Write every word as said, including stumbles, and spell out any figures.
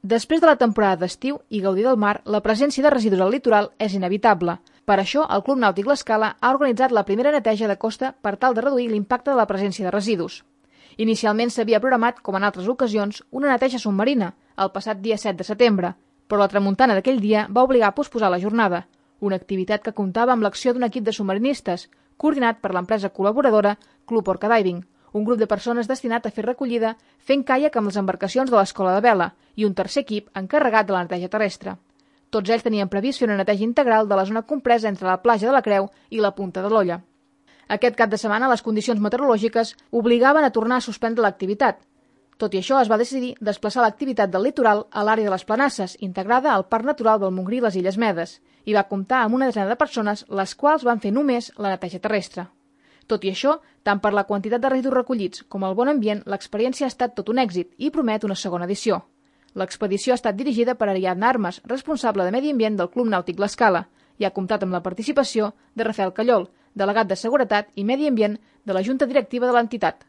Després de la temporada d'estiu i gaudir del mar, la presència de residus al litoral és inevitable. Per això, el Club Nàutic L'Escala ha organitzat la primera neteja de costa per tal de reduir l'impacte de la presència de residus. Inicialment s'havia programat, com en altres ocasions, una neteja submarina, el passat dia set de setembre, però la tramuntana d'aquell dia va obligar a posposar la jornada, una activitat que comptava amb l'acció d'un equip de submarinistes, coordinat per l'empresa col·laboradora Club Orca Diving, un grup de persones destinat a fer recollida fent caiac amb les embarcacions de l'Escola de Vela i un tercer equip encarregat de la neteja terrestre. Tots ells tenien previst fer una neteja integral de la zona compresa entre la platja de la Creu i la Punta de l'Olla. Aquest cap de setmana les condicions meteorològiques obligaven a tornar a suspendre l'activitat. Tot i això, es va decidir desplaçar l'activitat del litoral a l'àrea de les Planasses, integrada al Parc Natural del Montgrí i les Illes Medes, i va comptar amb una desena de persones, les quals van fer només la neteja terrestre. Tot i això, tant per la quantitat de residus recollits com el bon ambient, l'experiència ha estat tot un èxit i promet una segona edició. L'expedició ha estat dirigida per Ariadna Armas, responsable de Medi Ambient del Club Nàutic L'Escala, i ha comptat amb la participació de Rafael Callol, delegat de Seguretat i Medi Ambient de la Junta Directiva de l'entitat.